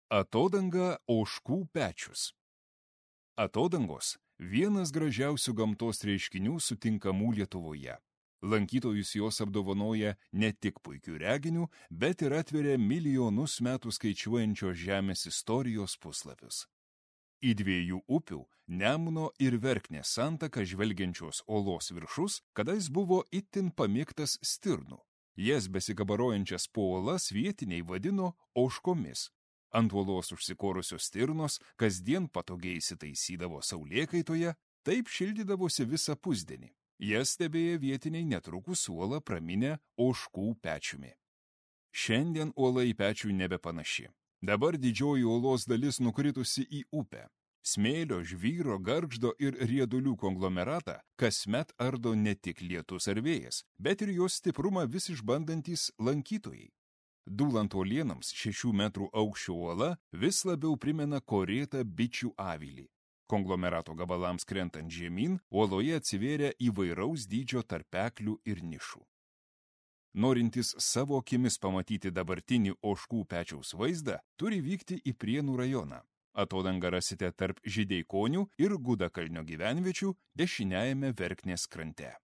Atodanga Ožkų pečius. Atodangos – vienas gražiausių gamtos reiškinių sutinkamų Lietuvoje. Lankytojus jos apdovanoja ne tik puikių reginių, bet ir atveria milijonus metų skaičiuojančios žemės istorijos puslapius. Į dviejų upių – Nemuno ir Verknės santaką žvelgiančios olos viršus kadais buvo itin pamėgtas stirnų. Jas besikabarojančias po olas vietiniai vadino ožkomis. Ant uolos užsikorusios stirnos kasdien patogiai įsitaisydavo saulėkaitoje, taip šildydavosi visą pusdienį. Jas stebėję vietiniai netrukus uolą praminę Ožkų pečiumi. Šiandien uola į pečių nebepanaši. Dabar didžioji uolos dalis nukritusi į upę. Smėlio, žvyro, gargždo ir riedulių konglomeratą kasmet ardo ne tik lietus ar vėjas, bet ir jos stiprumą vis išbandantys lankytojai. Dūlant uolienams 6 metrų aukščio uola vis labiau primena korėtą bičių avilį. Konglomerato gabalams krentant žemyn, uoloje atsivėrė įvairaus dydžio tarpeklių ir nišų. Norintys savo akimis pamatyti dabartinį Ožkų pečiaus vaizdą, turi vykti į Prienų rajoną. Atodangą rasite tarp Žydeikonių ir Gudakalnio gyvenviečių dešiniajame Verknės krante.